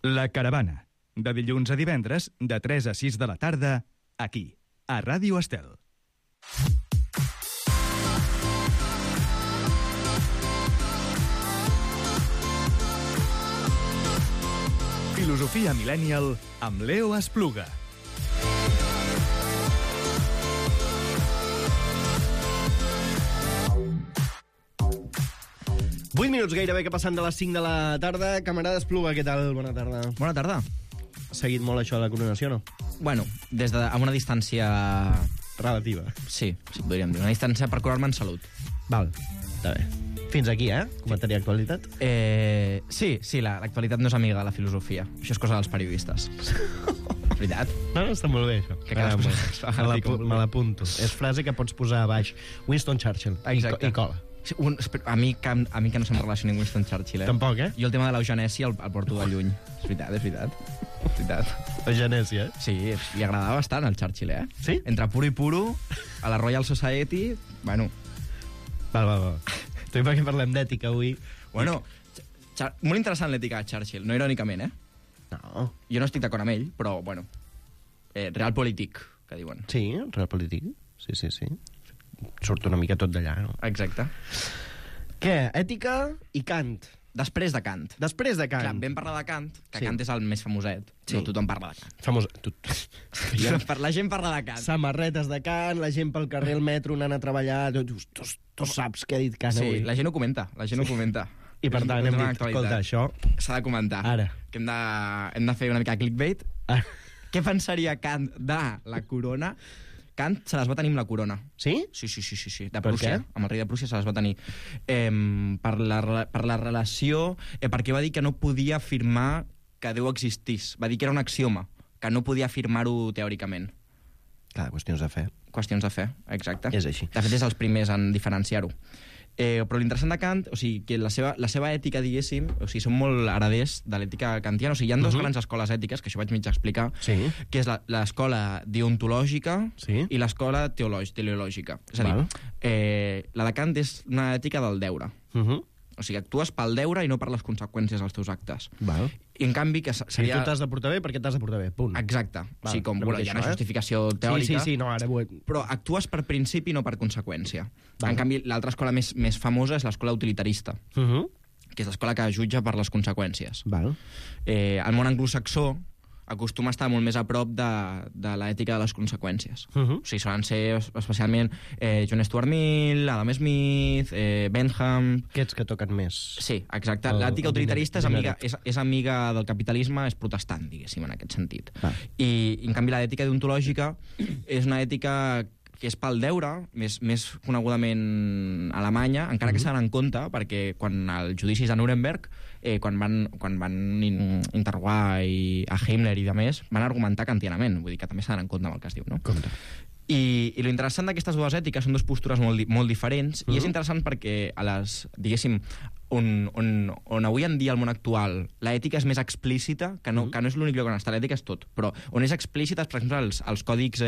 La Caravana, de dilluns a divendres, de 3 a 6 de la tarda, aquí, a Ràdio Estel. Filosofia Millennial amb Leo Espluga. Vuit minuts gairebé que passant de les 5 de la tarda. Camarada Espluga, què tal? Bona tarda. Bona tarda. Ha seguit molt això de la coronació, no? Bueno, amb una distància... Relativa. Sí, podríem dir. Una distància per curar-me en salut. Val, està bé. Fins aquí, Comentari d'actualitat. Sí, l'actualitat no és amiga de la filosofia. Això és cosa dels periodistes. Veritat? No, està molt bé, això. Que me l'apunto. És frase que pots posar a baix. Winston Churchill. Exacte. I cola. A mi que no se'm relacioni amb Winston Churchill, Tampoc, Jo el tema de l'eugenèsia el porto de lluny. És veritat. La genèsia, Sí, li agradava bastant al Churchill, Sí? Entre puro i puro, a la Royal Society, bueno... Val. Tu i per què parlem d'ètica avui? Bueno, molt interessant l'ètica de Churchill, no irònicament, No. Jo no estic d'acord amb ell, però, bueno, realpolitik, que diuen. Sí, realpolitik. Sí. Surt una mica tot d'allà, no? Exacte. Què? Ètica i Kant. Després de Kant. Després de Kant. Clar, vam parlar de Kant, que Sí. Kant és el més famoset. Sí. No tothom parla de Kant. Famós. La gent parla de Kant. Samarretes de Kant, la gent pel carrer, al metro, anant a treballar... Tu saps què ha dit Kant avui. Sí, la gent ho comenta. I per tant hem dit, escolta, això... S'ha de comentar. Ara. Que hem de fer una mica de clickbait. Què pensaria Kant de la corona? Kant se les va tenir amb la corona. Sí? Sí. De Per Prússia. què? Amb el rei de Prússia se les va tenir. Per la relació... perquè va dir que no podia afirmar que Déu existís. Va dir que era un axioma, que no podia afirmar-ho teòricament. Clar, qüestions de fe. Qüestions de fe, exacte. És així. De fet, és els primers en diferenciar-ho. Però l'interessant de Kant, o sigui, que la seva ètica, diguéssim, o sigui, són molt hereders de l'ètica kantiana. O sigui, hi ha dues grans escoles ètiques, que això vaig mig explicar, Sí. que és l'escola deontològica Sí. i l'escola teleològica. És a dir, la de Kant és una ètica del deure. O sigui, actues pel deure i no per les conseqüències dels teus actes. Val. I en canvi, que Si seria... tu t'has de portar bé, perquè t'has de portar bé, punt. Exacte. O sigui, com, una bueno, mica hi ha una això, justificació teòrica, Sí, no, ara ho he... però actues per principi, no per conseqüència. Val. En canvi, l'altra escola més famosa és l'escola utilitarista, que és l'escola que jutja per les conseqüències. Val. El món anglosaxó acostuma a estar molt més a prop de l'ètica de les conseqüències. O sigui, solen ser especialment John Stuart Mill, Adam Smith, Bentham... Aquests que toquen més. Sí, exacte. L'ètica utilitarista és amiga del capitalisme, és protestant, diguéssim, en aquest sentit. I, en canvi, l'ètica deontològica és una ètica que és pel deure, més conegudament alemanya, encara que s'ha d'anar en compte, perquè quan els judicis de Nuremberg, quan van interrogar a Himmler i demés, van argumentar kantianament, vull dir que també s'ha d'anar en compte amb el que es diu, no? Compte. I lo interessant d'aquestes dues ètiques són dues postures molt diferents, i és interessant perquè, diguéssim, on avui en dia, al món actual, l'ètica és més explícita, que no és l'únic lloc on està, l'ètica és tot, però on és explícita és, per exemple, els còdics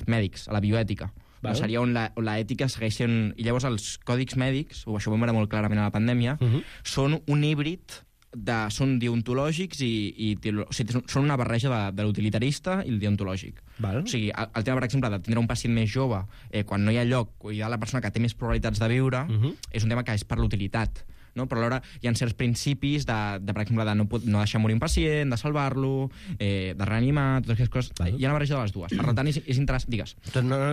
mèdics, a la bioètica. No, seria on l'ètica segueix sent... I llavors els còdics mèdics, o això ho vam veure molt clarament a la pandèmia, són un híbrid són deontològics o sigui, són una barreja de l'utilitarista i el deontològic. Val. O sigui, el tema, per exemple, de tindre un pacient més jove quan no hi ha lloc, o hi ha la persona que té més probabilitats de viure, és un tema que és per l'utilitat. No? Però alhora hi ha certs principis per exemple, de no deixar morir un pacient, de salvar-lo, de reanimar, totes aquestes coses. Hi ha una barreja de les dues. Per tant, és interessant. Digues.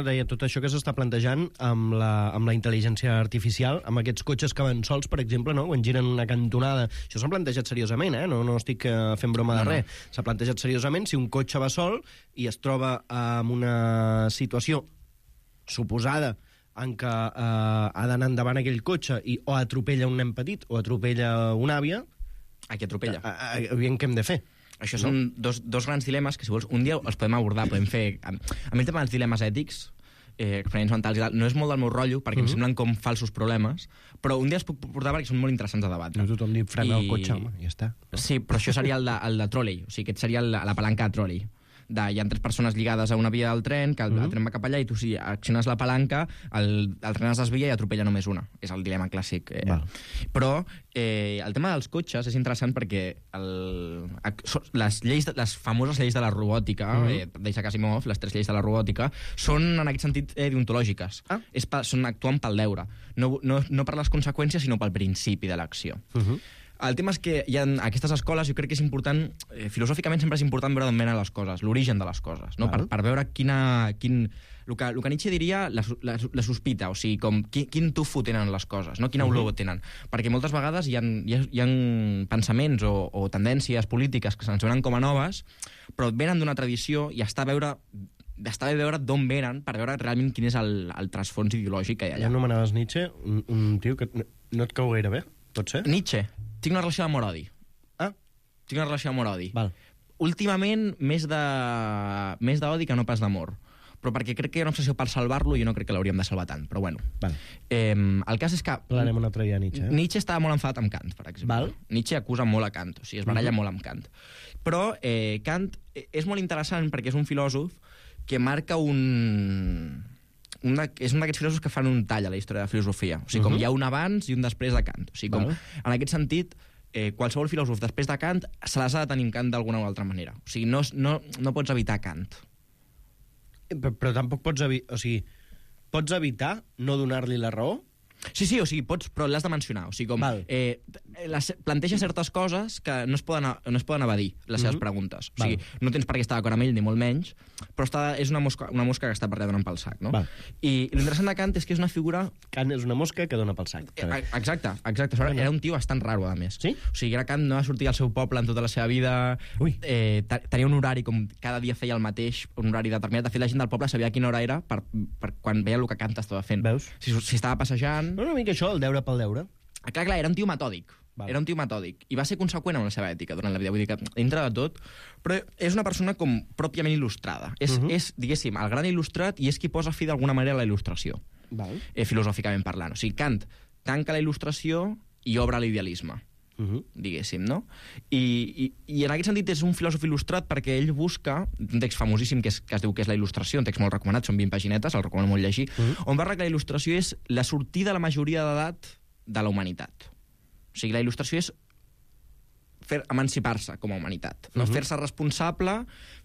Deia, tot això que s'està plantejant amb la intel·ligència artificial, amb aquests cotxes que van sols, per exemple, no? Quan giren una cantonada. Això s'ha plantejat seriosament, no estic fent broma de res. S'ha plantejat seriosament si un cotxe va sol i es troba en una situació suposada en què ha d'anar endavant aquell cotxe o atropella un nen petit o atropella una àvia, a qui atropella. Aviam què hem de fer. Això són dos grans dilemes que, si vols, un dia els podem abordar, podem fer... A mi el tema dels dilemes ètics, experiments mentals i tal, no és molt del meu rotllo, perquè em semblen com falsos problemes, però un dia els puc portar perquè són molt interessants de debatre. No tothom diu frena el cotxe, home, ja està. Sí, però això seria el de trolley, o sigui, aquest seria la palanca de trolley. hi ha 3 persones lligades a una via del tren, que el tren va cap allà i tu, si acciones la palanca, el tren es desvia i atropella només una. És el dilema clàssic. Però el tema dels cotxes és interessant perquè les famoses lleis de la robòtica, d'Isaac Asimov, les 3 lleis de la robòtica, són en aquest sentit deontològiques. Actuen pel deure. No per les conseqüències, sinó pel principi de l'acció. El tema és que hi ha aquestes escoles, jo crec que és important, filosòficament sempre és important veure d'on venen les coses, l'origen de les coses, no? Per veure el que Nietzsche diria la sospita, o sigui, quin tufo tenen les coses, no? Quina olor tenen. Perquè moltes vegades hi ha pensaments o tendències polítiques que se'ns venen com a noves, però venen d'una tradició i està bé veure d'on venen per veure realment quin és el trasfons ideològic que hi ha allà. Ja anomenaves Nietzsche, un tio que no et cau gaire bé, pot ser? Nietzsche. Tinc una relació d'amor-odi. Tinc una relació d'amor-odi. Últimament, més d'odi que no pas d'amor. Però perquè crec que hi ha una obsessió per salvar-lo i jo no crec que l'hauríem de salvar tant, però bueno. El cas és que... Parlarem un altre dia de Nietzsche. Nietzsche estava molt enfadat amb Kant, per exemple. Nietzsche acusa molt a Kant, o sigui, es baralla molt amb Kant. Però Kant és molt interessant perquè és un filòsof que marca és un d'aquests filòsofs que fan un tall a la història de la filosofia. O sigui, com hi ha un abans i un després de Kant. O sigui, com, en aquest sentit, qualsevol filòsof després de Kant se les ha de tenir en Kant d'alguna o altra manera. O sigui, no pots evitar Kant. Però tampoc pots evitar... O sigui, pots evitar no donar-li la raó? Sí, o sigui, però l'has de mencionar. O sigui, com planteja certes coses que no es poden evadir, les seves preguntes. O sigui, no tens per què estar d'acord amb ell, ni molt menys, però és una mosca que està per allà donant pel sac, no? I l'interessant de Kant és que és una figura... Kant és una mosca que dona pel sac. Exacte. Era un tio bastant raro, a més. Sí? O sigui, era Kant, no va sortir al seu poble en tota la seva vida, tenia un horari, com cada dia feia el mateix, un horari determinat. De fet, la gent del poble sabia quina hora era per quan veia el que Kant estava fent. Veus? Si estava passejant... Una mica això, el deure pel deure. Clar, era un tio metòdic. Era un tio metòdic. I va ser conseqüent amb la seva ètica durant la vida. Vull dir que, dintre de tot... Però és una persona com pròpiament il·lustrada. És, diguéssim, el gran il·lustrat i és qui posa fi d'alguna manera a la il·lustració. Filosòficament parlant. O sigui, Kant tanca la il·lustració i obre l'idealisme. Diguéssim, no? I en aquest sentit és un filòsof il·lustrat perquè ell busca un text famosíssim que es diu que és la il·lustració, un text molt recomanat, són 20 paginetes, el recomano molt llegir, on parla que la il·lustració és la sortida a la majoria d'edat de la humanitat. O sigui, la il·lustració és emancipar-se com a humanitat, no? Fer-se responsable,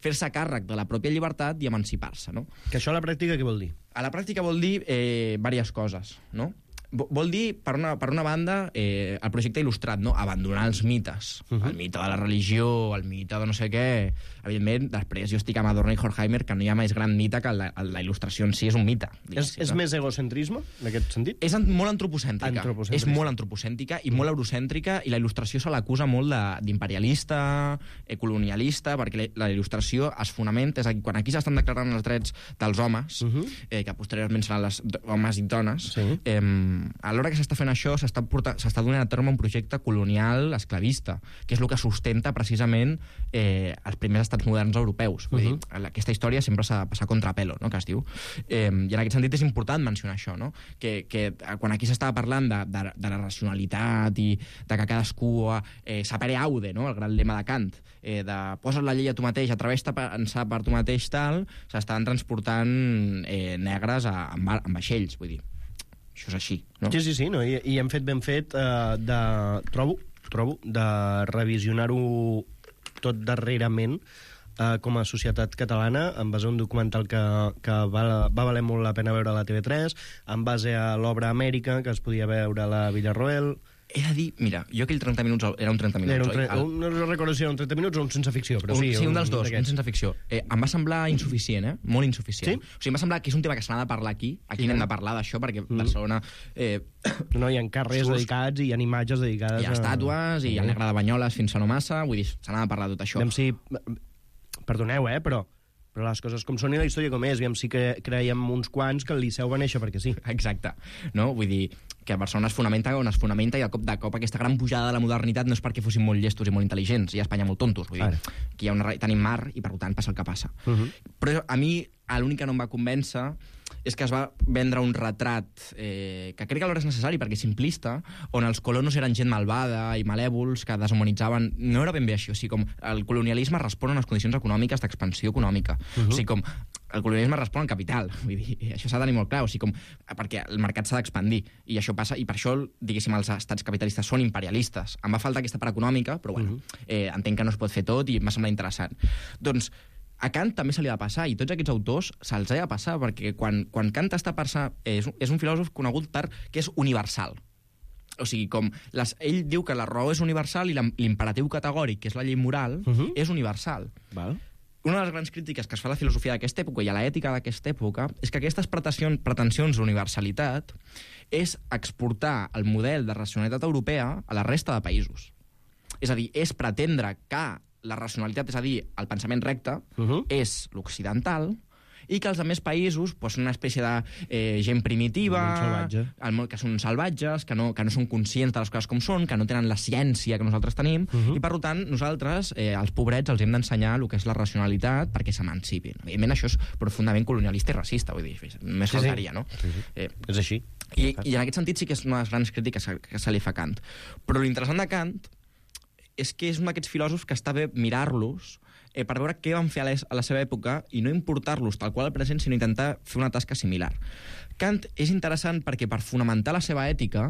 fer-se càrrec de la pròpia llibertat i emancipar-se, no? Que això a la pràctica què vol dir? A la pràctica vol dir diverses coses, no? Vol dir, per una banda, el projecte il·lustrat, no? Abandonar els mites. El mite de la religió, el mite de no sé què... Evidentment, després jo estic amb Adorno i Horkheimer, que no hi ha més gran mite que la il·lustració en si és un mite. És més egocentrisme, en aquest sentit? És molt antropocèntrica. És molt antropocèntrica i molt eurocèntrica, i la il·lustració se l'acusa molt d'imperialista, colonialista, perquè la il·lustració es fonamenta... És a dir, quan aquí s'estan declarant els drets dels homes, que posteriorment seran els homes i dones, a l'hora que s'està fent això s'està donant a terme un projecte colonial esclavista, que és el que sustenta precisament els primers estats moderns europeus. Vull dir, aquesta història sempre s'ha de passar contra pelo, no?, que es diu. I en aquest sentit és important mencionar això, no? Que quan aquí s'estava parlant de la racionalitat i de que cadascú sapere aude, no?, el gran lema de Kant, de posa't la llei a tu mateix, atreveix-te a pensar per tu mateix, tal, s'estan transportant negres en vaixells, vull dir. Això és així, no? Sí, no? I hem fet ben fet trobo, de revisionar-ho tot darrerament com a societat catalana, en base a un documental que va valer molt la pena veure a la TV3, en base a l'obra Amèrica, que es podia veure a la Villarroel... He de dir, mira, jo aquell 30 minuts era un 30 minuts, no recordo si era un 30 minuts o un sense ficció, però sí. Sí, un dels dos, un sense ficció. Em va semblar insuficient, molt insuficient. Sí? O sigui, em va semblar que és un tema que se n'ha de parlar aquí n'hem de parlar d'això, perquè Barcelona... No, hi ha carrers dedicats i hi ha imatges dedicades... Hi ha estàtues, i el negre de Banyoles fins a no massa, vull dir, se n'ha de parlar de tot això. Perdoneu, però les coses com són i la història com és, sí que creiem uns quants que el Liceu va néixer perquè sí. Exacte, no? Vull dir que Barcelona es fonamenta on es fonamenta, i de cop aquesta gran pujada de la modernitat no és perquè fossin molt llestos i molt intel·ligents, i a Espanya molt tontos. Vull dir, que tenim mar i per tant passa el que passa. Però a mi l'únic que no em va convèncer és que es va vendre un retrat que crec que alhora és necessari perquè és simplista, on els colonos eren gent malvada i malèvols que deshumanitzaven. No era ben bé així, o sigui, com el colonialisme respon a unes condicions econòmiques d'expansió econòmica. O sigui, com el colonialisme respon al capital, vull dir, això s'ha de tenir molt clar, o sigui, com, perquè el mercat s'ha d'expandir, i això passa, i per això, diguéssim, els estats capitalistes són imperialistes. Em va faltar aquesta part econòmica, però bueno, entenc que no es pot fer tot i m'ha semblat interessant. Doncs a Kant també se li ha de passar, i tots aquests autors se'ls ha de passar, perquè quan Kant està passant, és un filòsof conegut per que és universal. O sigui, com ell diu que la raó és universal i l'imperatiu categòric, que és la llei moral, és universal. Val. Una de les grans crítiques que es fa a la filosofia d'aquesta època i a l'ètica d'aquesta època és que aquestes pretensions d'universalitat és exportar el model de racionalitat europea a la resta de països. És a dir, és pretendre que la racionalitat, és a dir, el pensament recte, és l'occidental, i que els altres països són una espècie de gent primitiva, que són salvatges, que no són conscients de les coses com són, que no tenen la ciència que nosaltres tenim, i per tant nosaltres, els pobrets, els hem d'ensenyar el que és la racionalitat perquè s'emancipin. Evidentment això és profundament colonialista i racista, vull dir, només faltaria, no? És així. I en aquest sentit sí que és una de les grans crítiques que se li fa a Kant. Però l'interessant de Kant és que és un d'aquests filòsofs que està bé mirar-los per veure què van fer a la seva època i no importar-los tal qual al present, sinó intentar fer una tasca similar. Kant és interessant perquè per fonamentar la seva ètica,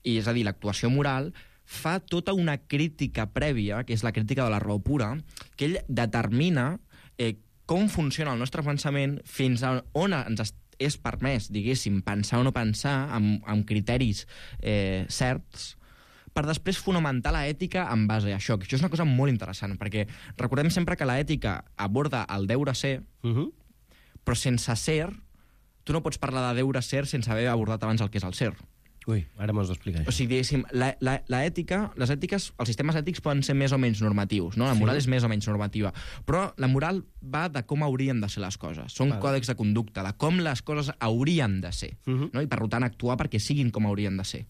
i és a dir, l'actuació moral, fa tota una crítica prèvia, que és la crítica de la raó pura, que ell determina com funciona el nostre pensament fins a on ens és permès, diguéssim, pensar o no pensar amb criteris certs, per després fonamentar l'ètica en base a això. Això és una cosa molt interessant, perquè recordem sempre que l'ètica aborda el deure ser, però sense ser, tu no pots parlar de deure ser sense haver abordat abans el que és el ser. Ui, ara m'ho has d'explicar, això. O sigui, diguéssim, l'ètica, els sistemes ètics poden ser més o menys normatius, no? La moral és més o menys normativa, però la moral va de com haurien de ser les coses. Són còdecs de conducta, de com les coses haurien de ser, no? I per tant actuar perquè siguin com haurien de ser.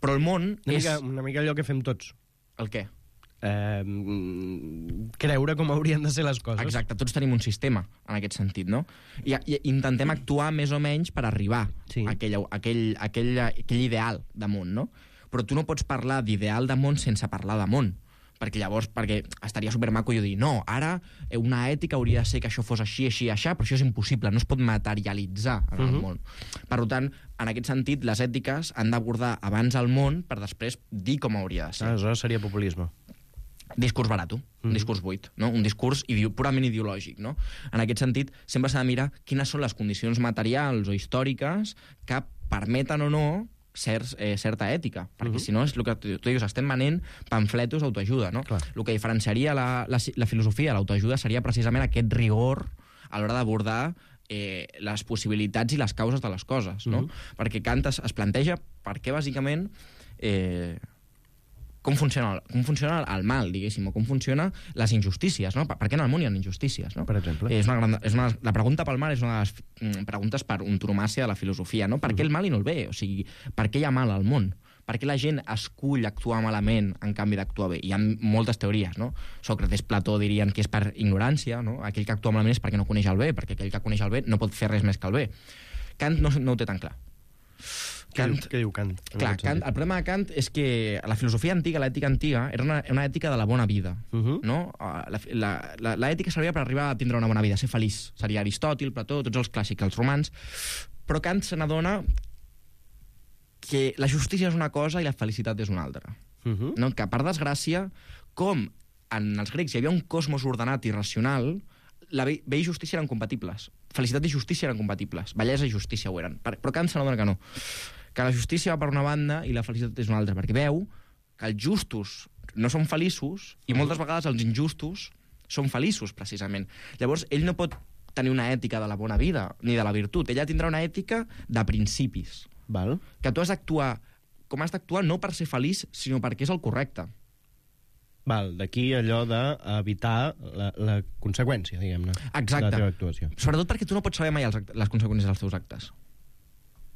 Però el món és... Una mica allò que fem tots. El què? Creure com haurien de ser les coses. Exacte, tots tenim un sistema en aquest sentit, no? I intentem actuar més o menys per arribar a aquell ideal de món, no? Però tu no pots parlar d'ideal de món sense parlar de món, perquè estaria supermaco jo dir, no, ara una ètica hauria de ser que això fos així, així, així, però això és impossible, no es pot materialitzar en el món. Per tant, en aquest sentit, les ètiques han d'abordar abans el món per després dir com hauria de ser. Aleshores seria populisme. Discurs barato, un discurs buit, no? Un discurs purament ideològic, no? En aquest sentit, sempre s'ha de mirar quines són les condicions materials o històriques que permeten o no certa ètica, perquè si no és el que tu dius, estem venent pamfletos d'autoajuda, no? El que diferenciaria la filosofia de l'autoajuda seria precisament aquest rigor a l'hora d'abordar les possibilitats i les causes de les coses, no? Perquè Kant es planteja per què bàsicament com funciona el mal, diguéssim, o com funcionen les injustícies, no? Per què en el món hi ha injustícies, no? Per exemple. La pregunta pel mal és una de les preguntes per antonomàsia de la filosofia, no? Per què el mal i no el bé? O sigui, per què hi ha mal al món? Per què la gent escull actuar malament en canvi d'actuar bé? Hi ha moltes teories, no? Sòcrates, Plató dirien que és per ignorància, no? Aquell que actua malament és perquè no coneix el bé, perquè aquell que coneix el bé no pot fer res més que el bé. Kant no ho té tan clar. Què diu Kant? Clar, el problema de Kant és que la filosofia antiga, l'ètica antiga, era una ètica de la bona vida, no? L'ètica servia per arribar a tindre una bona vida, ser feliç. Seria Aristòtil, Plató, tots els clàssics, els romans. Però Kant se n'adona que la justícia és una cosa i la felicitat és una altra. No? Que, per desgràcia, com en els grecs hi havia un cosmos ordenat i racional, la bé i justícia eren compatibles. Felicitat i justícia eren compatibles. Bellesa i justícia ho eren. Però Kant se n'adona que no. Que la justícia va per una banda i la felicitat és una altra, perquè veu que els justos no són feliços i moltes vegades els injustos són feliços, precisament. Llavors, ell no pot tenir una ètica de la bona vida ni de la virtut. Ella tindrà una ètica de principis. Val. Que tu has d'actuar com has d'actuar no per ser feliç, sinó perquè és el correcte. Val, d'aquí allò d'evitar la conseqüència, diguem-ne, exacte, de la teva actuació. Sobretot perquè tu no pots saber mai les conseqüències dels teus actes.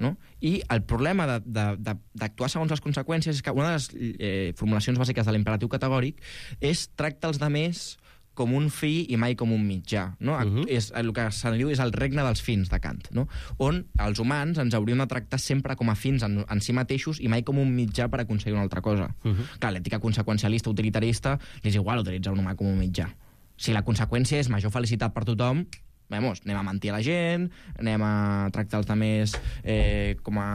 No? I el problema d'actuar segons les conseqüències és que una de les formulacions bàsiques de l'imperatiu categòric és tracta els demés com un fi i mai com un mitjà. No? És, el que se diu és el regne dels fins de Kant, no? On els humans ens hauríem de tractar sempre com a fins en si mateixos i mai com un mitjà per aconseguir una altra cosa. Clar, l'ètica conseqüencialista utilitarista li és igual utilitzar un humà com un mitjà. Si la conseqüència és major felicitat per tothom, anem a mentir a la gent, anem a tractar els altres com a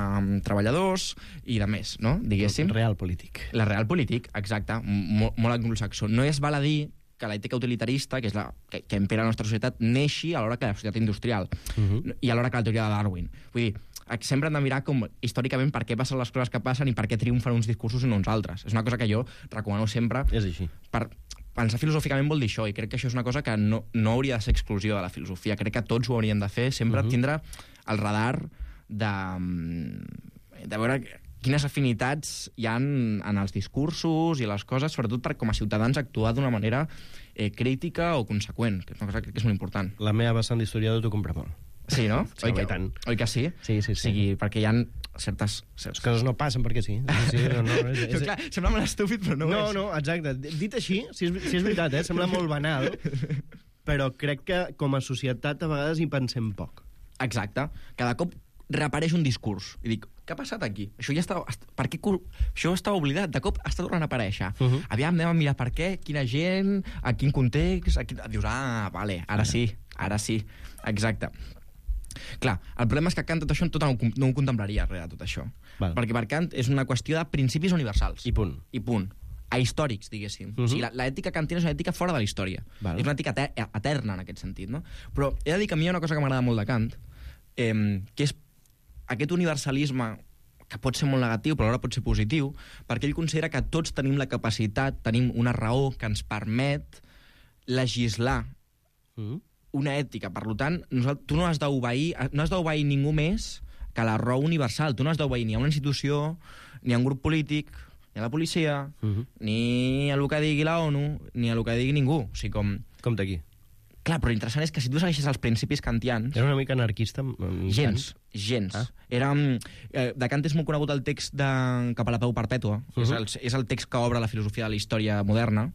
treballadors i de més, no? Diguéssim. Real polític. La real polític, exacte, molt anglosaxó. No es val a dir que l'ètica utilitarista, que és la que impera la nostra societat, neixi a l'hora que la societat industrial i a l'hora que la teoria de Darwin. Vull dir, sempre hem de mirar com, històricament, per què passen les coses que passen i per què triomfen uns discursos i no uns altres. És una cosa que jo recomano sempre. És així. Per pensar filosòficament vol dir això, i crec que això és una cosa que no hauria de ser exclusiva de la filosofia. Crec que tots ho haurien de fer, sempre tindre el radar de veure quines afinitats hi ha en els discursos i les coses, sobretot per, com a ciutadans, actuar d'una manera crítica o conseqüent, que és una cosa que és molt important. La meva vessant d'historiador t'ho compra molt. Sí, no? Sí, oi que sí? Sí. O sigui, perquè hi ha certes coses no passen perquè sí. Però, clar, sembla molt estúpid, però no ho és. No, exacte. Dit així, si és veritat, sembla molt banal, però crec que com a societat a vegades hi pensem poc. Exacte. Cada cop reapareix un discurs. I dic, què ha passat aquí? Això ja estava... Per què això estava oblidat? De cop està tornant a aparèixer. Aviam, anem a mirar per què, quina gent, a quin context... Dius, vale, ara sí. Exacte. Clar, el problema és que Kant tot això no ho contemplaria res de tot això. Perquè per Kant és una qüestió de principis universals. I punt. Ahistòrics, diguéssim. O sigui, l'ètica kantiana és una ètica fora de la història. És una ètica eterna, en aquest sentit, no? Però he de dir que a mi hi ha una cosa que m'agrada molt de Kant, que és aquest universalisme que pot ser molt negatiu, però alhora pot ser positiu, perquè ell considera que tots tenim la capacitat, tenim una raó que ens permet legislar una ètica. Per tant, tu no has d'obeir ningú més que la raó universal. Tu no has d'obeir ni a una institució, ni a un grup polític, ni a la policia, ni a el que digui la ONU, ni a el que digui ningú. O sigui, Com d'aquí. Clar, però l'interessant és que si tu segueixes els principis kantians... Era una mica anarquista? Gens. De Kant és molt conegut el text de Cap a la pau perpètua, és el text que obre la filosofia de la història moderna,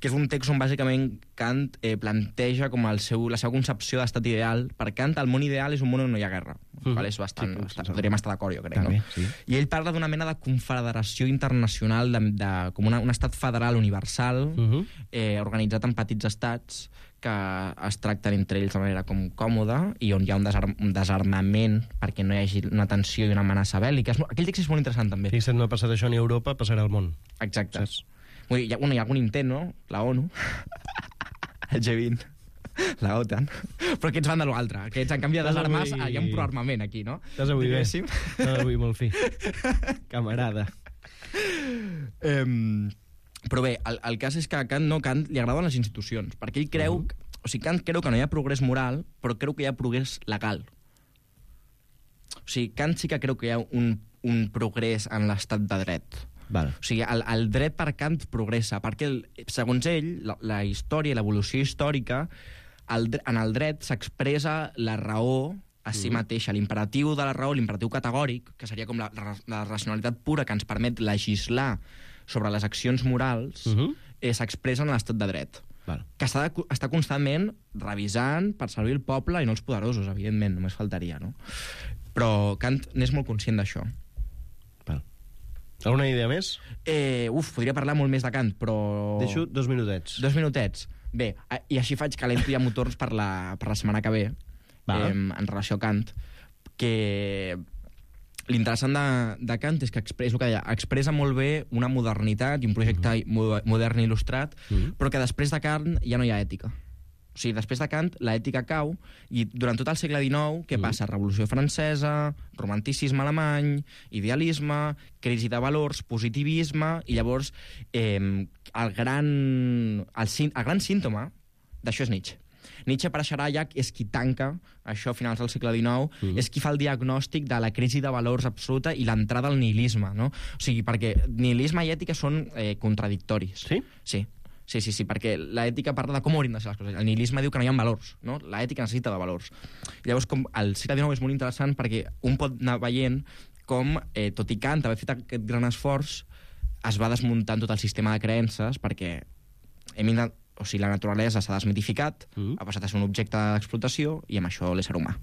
que és un text on bàsicament Kant planteja com la seva concepció d'estat ideal. Per Kant, el món ideal és un món on no hi ha guerra. És bastant... Podríem estar d'acord, jo crec, no? I ell parla d'una mena de confederació internacional, com un estat federal universal, organitzat en petits estats, que es tracten entre ells de manera com còmoda i on hi ha un desarmament perquè no hi hagi una tensió i una amenaça bèl·lica. Aquell text és molt interessant, també. Fixa't, no ha passat això ni a Europa, passarà al món. Exacte. Hi ha algun intent, no? La ONU, el G20, la OTAN, però aquests van de l'altre. Aquests, en canvi de desarmar, hi ha un proarmament aquí, no? Estàs avui bé. Estàs avui molt fi. Camarada. Però bé, el cas és que a Kant li agraden les institucions, perquè ell creu... O sigui, Kant creu que no hi ha progrés moral, però creu que hi ha progrés legal. O sigui, Kant sí que creu que hi ha un progrés en l'estat de dret. O sigui, el dret per Kant progressa, perquè, segons ell, la història i l'evolució històrica, en el dret s'expressa la raó a si mateixa, l'imperatiu de la raó, l'imperatiu categòric, que seria com la racionalitat pura que ens permet legislar sobre les accions morals, s'expressa en l'estat de dret. Que està constantment revisant per servir el poble i no els poderosos, evidentment, només faltaria, no? Però Kant n'és molt conscient d'això. Alguna idea més? Podria parlar molt més de Kant, però... Deixo 2 minutets. 2 minutets. Bé, i així faig calento ja motors per la setmana que ve, en relació a Kant, que l'interessant de Kant és que expressa molt bé una modernitat i un projecte modern il·lustrat, però que després de Kant ja no hi ha ètica. O sigui, després de Kant, l'ètica cau, i durant tot el segle XIX, què passa? Revolució Francesa, romanticisme alemany, idealisme, crisi de valors, positivisme, i llavors el gran símptoma d'això és Nietzsche. Nietzsche apareixerà ja, és qui tanca això a finals del segle XIX, és qui fa el diagnòstic de la crisi de valors absoluta i l'entrada al nihilisme, no? O sigui, perquè nihilisme i ètica són contradictoris. Sí? Sí, perquè l'ètica parla de com haurien de ser les coses. El nihilisme diu que no hi ha valors, no? L'ètica necessita de valors. Llavors, el segle XIX és molt interessant perquè un pot anar veient com, tot i Kant haver fet aquest gran esforç, es va desmuntant tot el sistema de creences perquè hem o sigui, la naturalesa s'ha desmitificat, ha passat a ser un objecte d'explotació, i amb això l'ésser humà.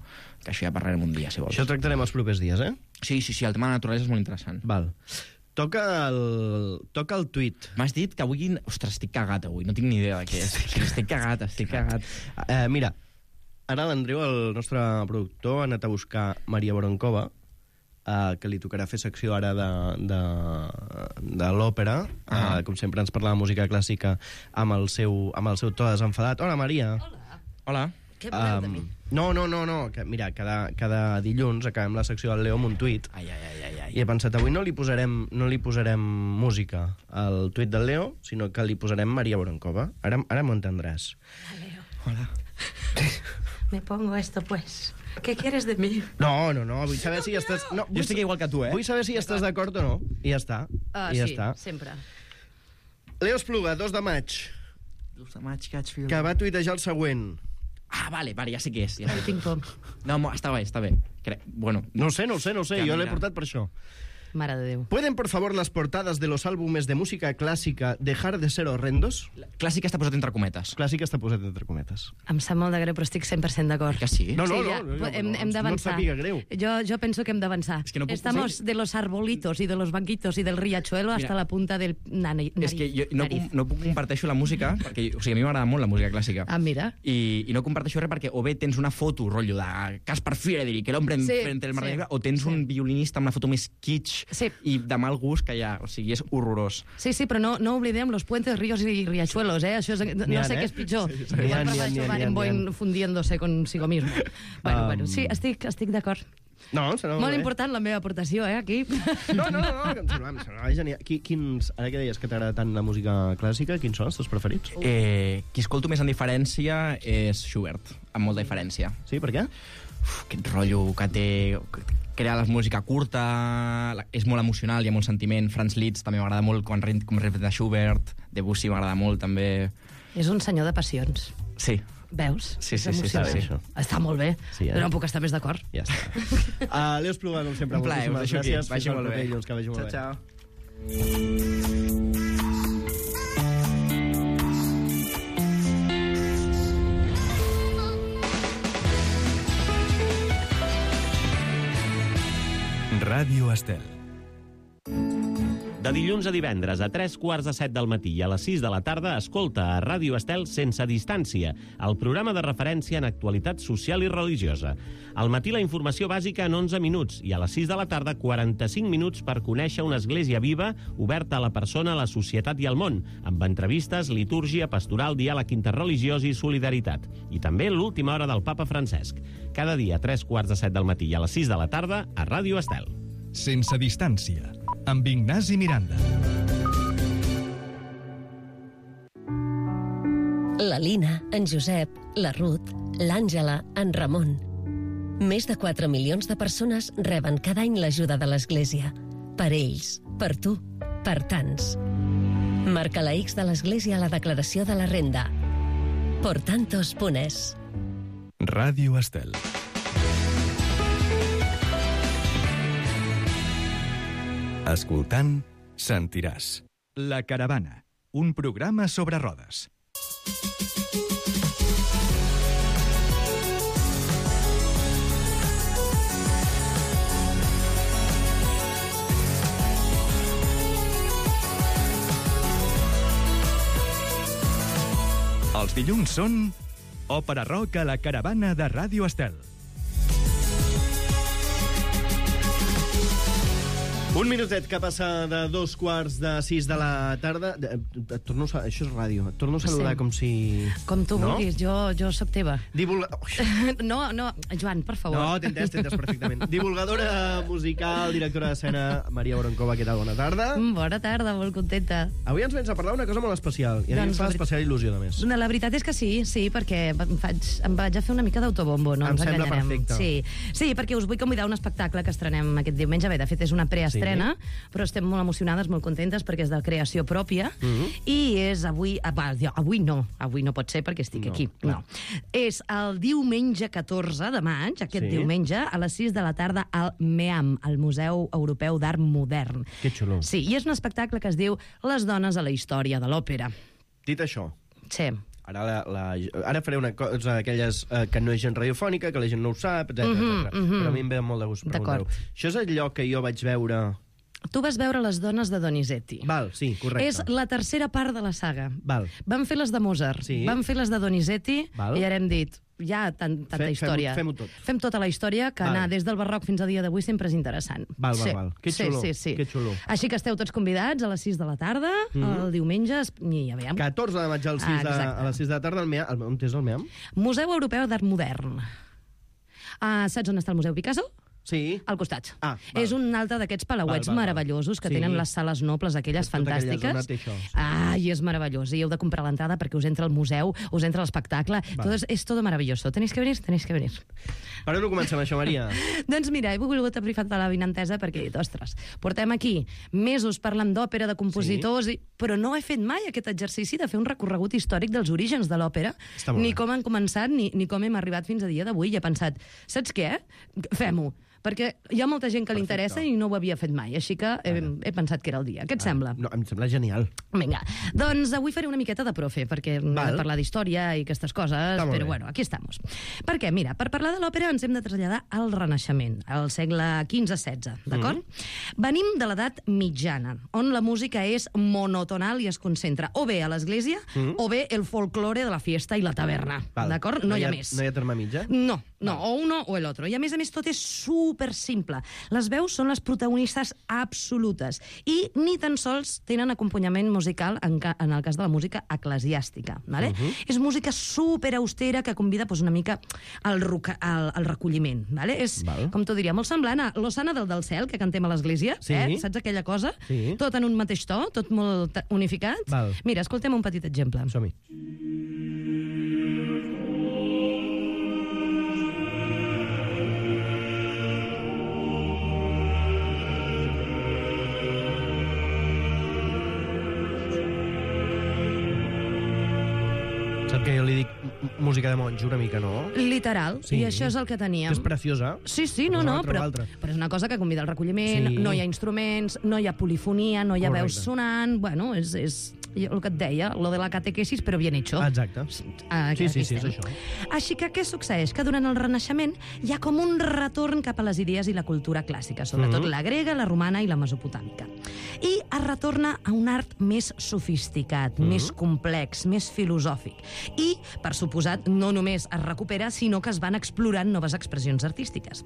Que això ja parlarem un dia, si vols. Això tractarem els propers dies, eh? Sí, el tema de la naturalesa és molt interessant. Val. Toca el tuit. M'has dit que avui... Ostres, estic cagat avui, no tinc ni idea de què és. Estic cagat. Mira, ara l'Andreu, el nostre productor, ha anat a buscar Maria Voronkova, que li tocarà fer secció ara de l'òpera. Com sempre ens parla de música clàssica amb el seu to desenfadat. Hola, Maria. Hola. Què voleu de mi? No. Que, mira, cada dilluns acabem la secció del Leo amb un tuit. Ai. I he pensat, avui no li posarem música al tuit del Leo, sinó que li posarem Maria Voronkova. Ara m'ho entendràs. Hola. Me pongo esto, pues. ¿Qué quieres de mí? No, vull saber si estàs... No, Jo estic igual que tu, Vull saber si estàs d'acord o no. I ja està. Sí, sempre. Leo Espluga, 2 de maig, 2 de maig, que vaig fer... que va tuitejar el següent. Vale, ja sé què és. Ja sé. Tinc por. No, està bé. Bueno, No sé, jo l'he portat per això. Mare de Déu. ¿Pueden, por favor, las portadas de los álbumes de música clásica dejar de ser horrendos? clàssica està posat entre cometes. Clàssica està posat entre cometes. Em sap molt de greu, però estic 100% d'acord. Que sí? No, Sí, no, ja, no, hem no et d'avançar. sàpiga greu. Jo penso que hem d'avançar. És que no puc Estamos de los arbolitos y de los banquitos y del riachuelo hasta la punta del nariz. És que jo no puc comparteixo la música, perquè o sigui, a mi m'agrada molt la música clàssica. Mira. I no comparteixo res perquè o bé tens una foto, rotllo, de Caspar Friedrich, que l'hombre frente al mar de Negre, o tens un violinista amb una foto més kitsch i de mal gust que ja, o sigui, és horrorós. Sí, però no oblidem los puentes, ríos y riachuelos, ¿eh? Això és, no sé què és pitjor. Igual pasa això Barenboim fundiéndose consigo mismo. Bueno, sí, estic d'acord. No, Molt important la meva aportació, aquí. No, em semblava genial. Ara que deies que t'agrada tant la música clàssica, quins són els teus preferits? Qui escolto més en diferència és Schubert, amb molta diferència. Sí, per què? Aquest rotllo que té... Crea la música curta, és molt emocional, hi ha molt sentiment. Franz Liszt també m'agrada molt, com representa Schubert. Debussy m'agrada molt, també. És un senyor de passions. Sí. Veus? Sí. Està molt bé, però no puc estar més d'acord. Ja està. Leo Espluga, com sempre, un plaer, moltíssimes gràcies. Vagi molt bé. Que vagi molt bé. Ciao. Ràdio Estel. De dilluns a divendres a 3:15 del matí i a les 6 de la tarda escolta a Ràdio Estel Sense Distància, el programa de referència en actualitat social i religiosa. Al matí la informació bàsica en 11 minuts i a les 6 de la tarda 45 minuts per conèixer una església viva oberta a la persona, a la societat i al món, amb entrevistes, litúrgia, pastoral, diàleg interreligiós i solidaritat. I també l'última hora del papa Francesc. Cada dia a 3:15 del matí i a les 6 de la tarda a Ràdio Estel. Sense distància, amb Ignasi Miranda. La Lina, en Josep, la Ruth, l'Àngela, en Ramon. Més de 4 milions de persones reben cada any l'ajuda de l'Església. Per ells, per tu, per tants. Marca la X de l'Església a la declaració de la renda. Por tantos.es. Ràdio Estel. Escoltant, sentiràs. La Caravana, un programa sobre rodes. Els dilluns són Òpera Rock a la Caravana de Ràdio Estel. Un minutet que passa de 2:45 de la tarda. Això és ràdio. Et torno a saludar com si... Com tu vulguis, jo sóc teva. No, Joan, per favor. No, t'he entès perfectament. Divulgadora musical, directora d'escena, Maria Voronkova, què tal? Bona tarda. Bona tarda, molt contenta. Avui ens vens a parlar d'una cosa molt especial. I a mi em fa especial il·lusió, a més. La veritat és que sí, perquè em vaig a fer una mica d'autobombo, no ens enganyarem. Em sembla perfecte. Sí, perquè us vull convidar a un espectacle que estrenem aquest diumenge. Bé, de fet, és una preestrena, però estem molt emocionades, molt contentes, perquè és de creació pròpia, i és avui no pot ser perquè estic aquí. No. És el diumenge 14 de maig, aquest diumenge, a les 6 de la tarda, al MEAM, al Museu Europeu d'Art Modern. Que xulo. Sí, i és un espectacle que es diu Les dones a la història de l'òpera. Dit això, Sí. Ara faré una cosa d'aquelles que no és gent radiofònica, que la gent no ho sap, etc. Però a mi em ve molt de gust preguntar-ho. Això és allò que jo vaig veure... Tu vas veure Les dones de Donizetti. Val, sí, correcte. És la tercera part de la saga. Val. Vam fer les de Mozart, Sí. vam fer les de Donizetti, Val. i ara hem dit, ja tanta història. Fem-ho tot. Fem tota la història, que Val. anar des del barroc fins a dia d'avui sempre és interessant. Val. Que xulo, Sí. que xulo. Així que esteu tots convidats a les 6 de la tarda, el diumenge, i ja veiem. 14 de maig a les 6 de la tarda, on és el MEAM? Museu Europeu d'Art Modern. Saps on està el Museu Picasso? Sí. Al costat. Val. És un altre d'aquests palauets Val. meravellosos que tenen les sales nobles, aquelles Tota aquella fantàstiques. zona té això, sí. I és meravellós. I heu de comprar l'entrada perquè us entra al museu, us entra l'espectacle. És tot meravelloso. Tenéis que venir. Per on ho comencem, això, Maria? Doncs mira, he volgut aprofar la vinentesa perquè he dit, ostres, portem aquí mesos parlant d'òpera, de compositors, però no he fet mai aquest exercici de fer un recorregut històric dels orígens de l'òpera, ni com han començat, ni com hem arribat fins a dia d'avui. I he pensat, saps què? Fem-ho. Perquè hi ha molta gent que li interessa i no ho havia fet mai, així que he pensat que era el dia. Què et sembla? No, em sembla genial. Vinga, doncs avui faré una miqueta de profe, perquè hem de parlar d'història i aquestes coses, però bueno, aquí estamos. Perquè, mira, per parlar de l'òpera ens hem de traslladar al Renaixement, al segle XV-XVI, d'acord? Venim de l'edat mitjana, on la música és monotonal i es concentra o bé a l'església o bé el folklore de la fiesta i la taverna, d'acord? No hi ha més. No hi ha terme mitja? No, o uno o el otro. I a més tot és super simple. Les veus són les protagonistes absolutes i ni tan sols tenen acompanyament musical en el cas de la música eclesiàstica. Vale? És música super austera que convida una mica al recolliment. Vale? És, com t'ho diria, molt semblant a l'Osana del cel, que cantem a l'església. Saps aquella cosa? Tot en un mateix to, tot molt unificat. Mira, escoltem un petit exemple. Som-hi. Que jo li dic música de monjo una mica, no? Literal, i això és el que teníem. Que és preciosa. Sí, però és una cosa que convida al recolliment, no hi ha instruments, no hi ha polifonia, no hi ha veus sonant, bueno, és el que et deia, lo de la catequesis, però bien hecho. Exacte. Sí, és això. Així que què succeeix? Que durant el Renaixement hi ha com un retorn cap a les idees i la cultura clàssica, sobretot la grega, la romana i la mesopotàmica. I es retorna a un art més sofisticat, més complex, més filosòfic. I, per suposat, no només es recupera, sinó que es van explorant noves expressions artístiques.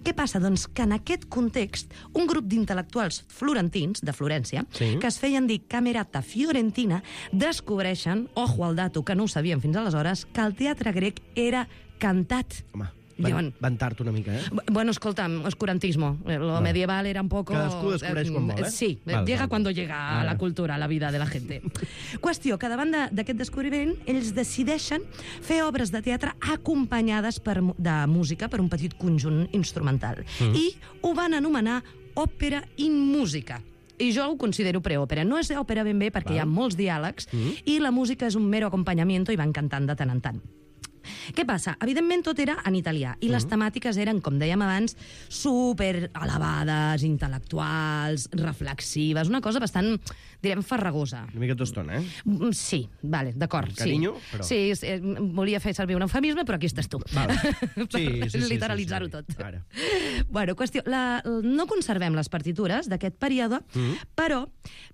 Què passa? Doncs que en aquest context, un grup d'intel·lectuals florentins, de Florència, que es feien dir Camerata Fiorentina, descobreixen, ojo al dato, que no ho sabien fins aleshores, que el teatre grec era cantat. Home, van tard una mica, Bueno, escolta'm, oscurantismo. Lo medieval era un poco... Cadascú descobreix quan vol, Sí, llega cuando llega a la cultura, a la vida de la gente. Qüestió, que davant d'aquest descobriment, ells decideixen fer obres de teatre acompanyades de música per un petit conjunt instrumental. I ho van anomenar òpera in música. I jo ho considero preòpera. No és òpera ben bé perquè hi ha molts diàlegs i la música és un mero acompanyamiento i van cantant de tant en tant. Què passa? Evidentment tot era en italià i les temàtiques eren, com dèiem abans, super elevades, intel·lectuals, reflexives, una cosa bastant, direm, farragosa. Una mica tostona, Sí, vale, d'acord. Carinyo, però... Sí, volia fer servir un eufemisme, però aquí estàs tu. Sí. Literalitzar-ho tot. Ara. Bueno, qüestió, no conservem les partitures d'aquest període, però,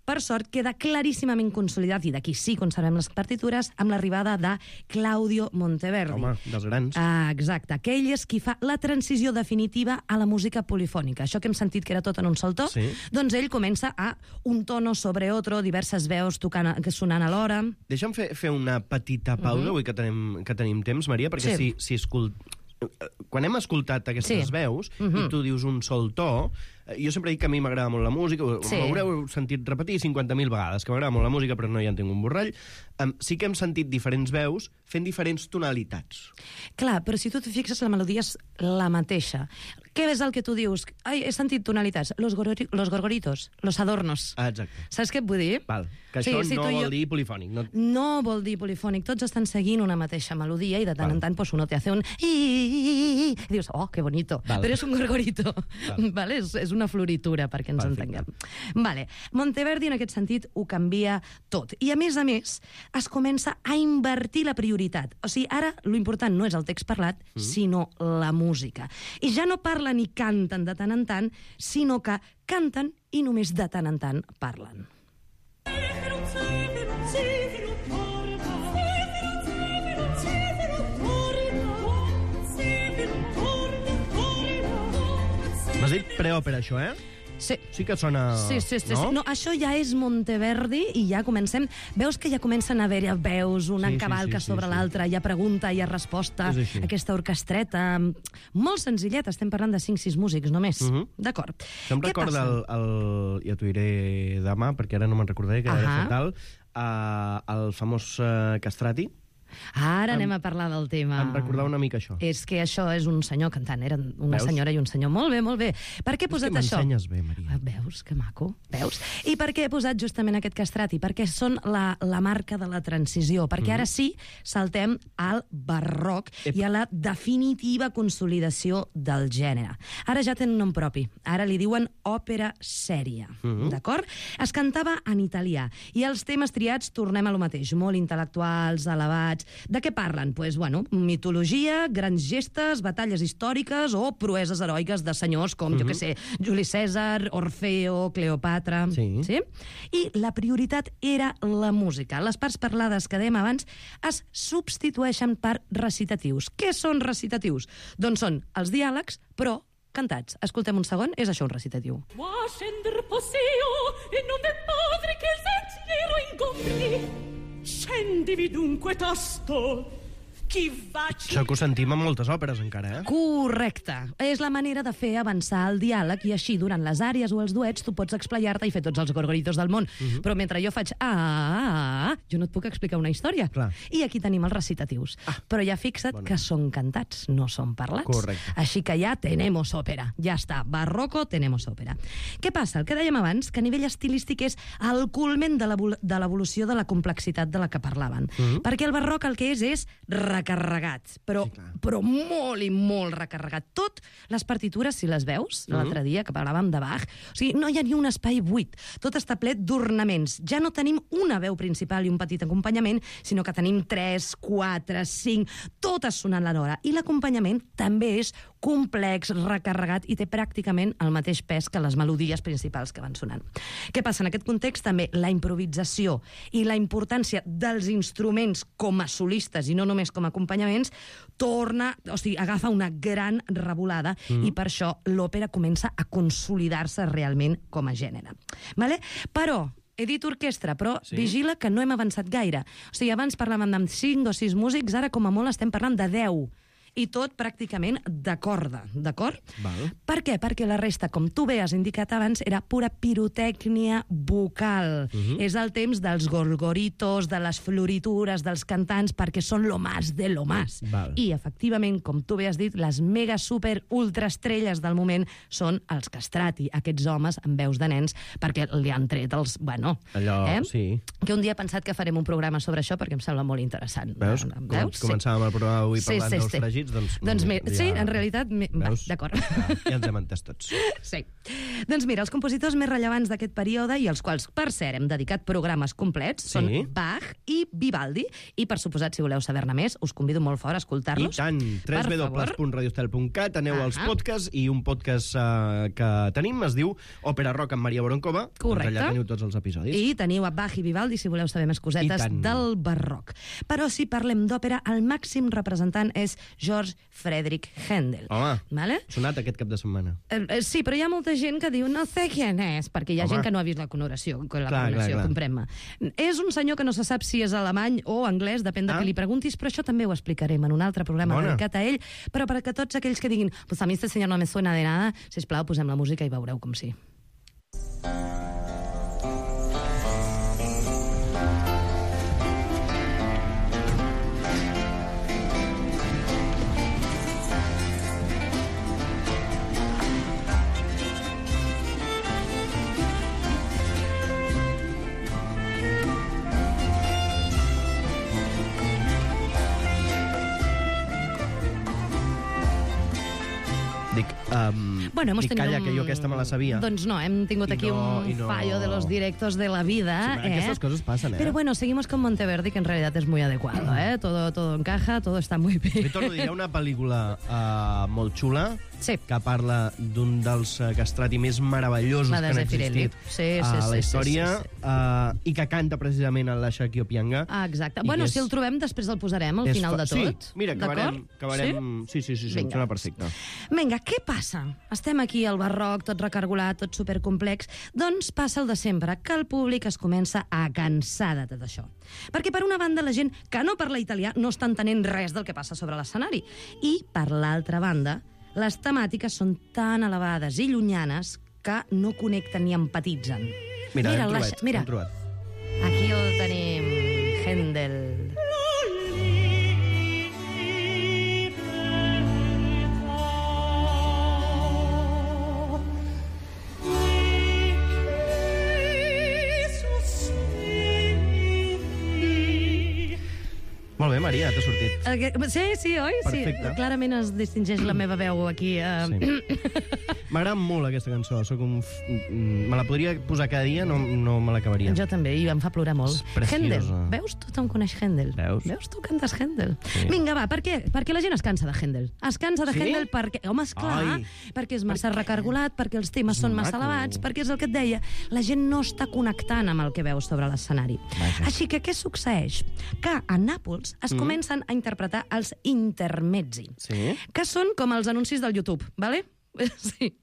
per sort, queda claríssimament consolidat, i d'aquí sí conservem les partitures, amb l'arribada de Claudio Monteverdi. Home, dels grans. Exacte, que ell és qui fa la transició definitiva a la música polifònica. Això que hem sentit que era tot en un sol to, doncs ell comença a un tono sobre otro, diverses veus sonant alhora. Deixa'm fer una petita pausa, avui que tenim temps, Maria, perquè quan hem escoltat aquestes veus i tu dius un sol to, jo sempre dic que a mi m'agrada molt la música, m'haureu sentit repetir 50.000 vegades, que m'agrada molt la música però no hi entenc un borrall. Sí que hem sentit diferents veus fent diferents tonalitats. Clar, però si tu et fixes, la melodia és la mateixa. Què és el que tu dius? Ai, he sentit tonalitats. Los gorgoritos, los adornos. Exacte. Saps què et vull dir? Val. Que això no vol dir polifònic. No vol dir polifònic. Tots estan seguint una mateixa melodia i de tant en tant pues, uno te hace un... I dius, oh, que bonito. Però és un gorgorito. Vale? És una floritura, perquè ens entenguem. Vale. Monteverdi, en aquest sentit, ho canvia tot. I, a més, es comença a invertir la prioritat. O sigui, ara, lo important no és el text parlat, sinó la música. I ja no parlen i canten de tant en tant, sinó que canten i només de tant en tant parlen. M'has dit preòpera, això, eh? Sí. Sí que sona... Sí. No, això ja és Monteverdi i ja comencem... Veus que ja comencen a haver veus, una cavalca sobre l'altra, hi ha pregunta, hi ha resposta, aquesta orquestreta... Molt senzilleta, estem parlant de 5-6 músics només. D'acord. Això em recorda ja t'ho diré demà, perquè ara no me'n recordaré, que era fatal, el famós Castrati. Ara anem a parlar del tema. Em recordava una mica això. És que això és un senyor cantant, eren una senyora i un senyor. Molt bé, molt bé. Per què he posat això? És que m'ensenyes bé, Maria. Veus, que maco. Veus? I per què he posat justament aquest castrati? Perquè són la marca de la transició. Perquè ara sí saltem al barroc i a la definitiva consolidació del gènere. Ara ja tenen un nom propi. Ara li diuen òpera sèria. D'acord? Es cantava en italià. I els temes triats, tornem a lo mateix. Molt intel·lectuals, elevats. De què parlen? Pues, bueno, mitologia, grans gestes, batalles històriques o proeses heroiques de senyors com, jo què sé, Juli Cèsar, Orfeo, Cleopatra... Sí? I la prioritat era la música. Les parts parlades que dèiem abans es substitueixen per recitatius. Què són recitatius? Doncs són els diàlegs, però cantats. Escoltem un segon, és això un recitatiu. Moi scender posseo e non è padre che il sentiero incontri. Scendivi dunque tosto, chi va... Això que ho sentim en moltes òperes, encara, eh? Correcte. És la manera de fer avançar el diàleg i així, durant les àries o els duets, tu pots explayar-te i fer tots els gorgoritos del món. Però mentre jo faig jo no et puc explicar una història. Clar. I aquí tenim els recitatius. Però ja fixa't que són cantats, no són parlats. Correcte. Així que ja tenemos òpera. Ja està. Barroco, tenemos òpera. Què passa? El que dèiem abans, que a nivell estilístic és el culmen de l'evolució de la complexitat de la que parlaven. Perquè el barroc el que és recarregat, però molt i molt recarregat. Tot, les partitures, si les veus, l'altre dia que parlàvem de Bach, o sigui, no hi ha ni un espai buit. Tot està ple d'ornaments. Ja no tenim una veu principal i un petit acompanyament, sinó que tenim 3, 4, 5, totes sonant l'hora. I l'acompanyament també és complex, recarregat i té pràcticament el mateix pes que les melodies principals que van sonant. Què passa? En aquest context també la improvisació i la importància dels instruments com a solistes i no només com a acompanyaments agafa una gran revolada i per això l'òpera comença a consolidar-se realment com a gènere. Vale? Però he dit orquestra, però vigila que no hem avançat gaire. O sigui, abans parlàvem de 5 o 6 músics, ara com a molt estem parlant de 10. I tot pràcticament de corda, d'acord? Per què? Perquè la resta, com tu bé has indicat abans, era pura pirotècnia vocal. És el temps dels gorgoritos, de les floritures, dels cantants, perquè són lo más de lo más. I, efectivament, com tu bé has dit, les mega super ultra estrelles del moment són els castrati, aquests homes amb veus de nens, perquè li han tret els... Bueno, sí. Que un dia he pensat que farem un programa sobre això perquè em sembla molt interessant. Veus? Començàvem el programa avui parlant dels fregits. Doncs sí, en realitat... D'acord. Ja ens hem entès tots. Sí. Doncs mira, els compositors més rellevants d'aquest període, i els quals, per cert, hem dedicat programes complets, són Bach i Vivaldi. I, per suposat, si voleu saber-ne més, us convido molt fort a escoltar-los. I tant, www.radiostel.cat, aneu als podcasts, i un podcast que tenim es diu Òpera Rock amb Maria Boronkova. Correcte. Allà teniu tots els episodis. I teniu a Bach i Vivaldi, si voleu saber més cosetes del barroc. Però si parlem d'òpera, el màxim representant és Georg Friedrich Händel. Home, vale? sonat aquest cap de setmana. Sí, però hi ha molta gent que diu no sé quién és, perquè hi ha gent que no ha vist la coronació, comprem-me. És un senyor que no se sap si és alemany o anglès, depèn de què li preguntis, però això també ho explicarem en un altre programa dedicat a ell, però perquè tots aquells que diguin pues a mi este señor no me suena de nada, sisplau, posem la música i veureu com sí. Bueno, hemos tenido calla, que jo aquesta me la sabia. Doncs no, hem tingut aquí un fallo de los directos de la vida. Sí, aquestes coses passen, Pero bueno, seguimos con Monteverdi, que en realidad es muy adecuado, Todo encaja, todo está muy bien. Li torno a dir, hi ha una pel·lícula molt xula Sí. que parla d'un dels castrati més meravellosos La que de han Zeffirelli. existit a la història i que canta precisament el Lasciaki Opianga. Ah, exacte. Bueno, si el trobem, després el posarem al final de tot. Sí, mira, acabarem... Sí, em sembla perfecte. Vinga, què passa? Estem aquí al barroc, tot recargolat, tot supercomplex. Doncs passa el de sempre, que el públic es comença a cansar de tot això. Perquè, per una banda, la gent que no parla italià no està entenent res del que passa sobre l'escenari. I, per l'altra banda, les temàtiques són tan elevades i llunyanes que no connecten ni empatitzen. Mira, hem trobat. Aquí el tenim, Händel. Molt bé, Maria, t'ha sortit. Sí, oi? Perfecte. Sí, clarament es distingeix la meva veu aquí. M'agrada molt aquesta cançó. Me la podria posar cada dia, no me l'acabaria. Jo també, i em fa plorar molt. És preciosa. Händel, veus? Tothom coneix Händel. Veus? Tu cantes Händel. Sí. Vinga, va, per què? Perquè la gent es cansa de Händel. Es cansa de Händel perquè... Home, esclar, perquè és massa recargolat, perquè els temes són massa elevats, perquè és el que et deia. La gent no està connectant amb el que veus sobre l'escenari. Així que què succeeix? Que a Nàpols es comencen a interpretar els intermezzi, que són com els anuncis del YouTube, ¿vale? Sí.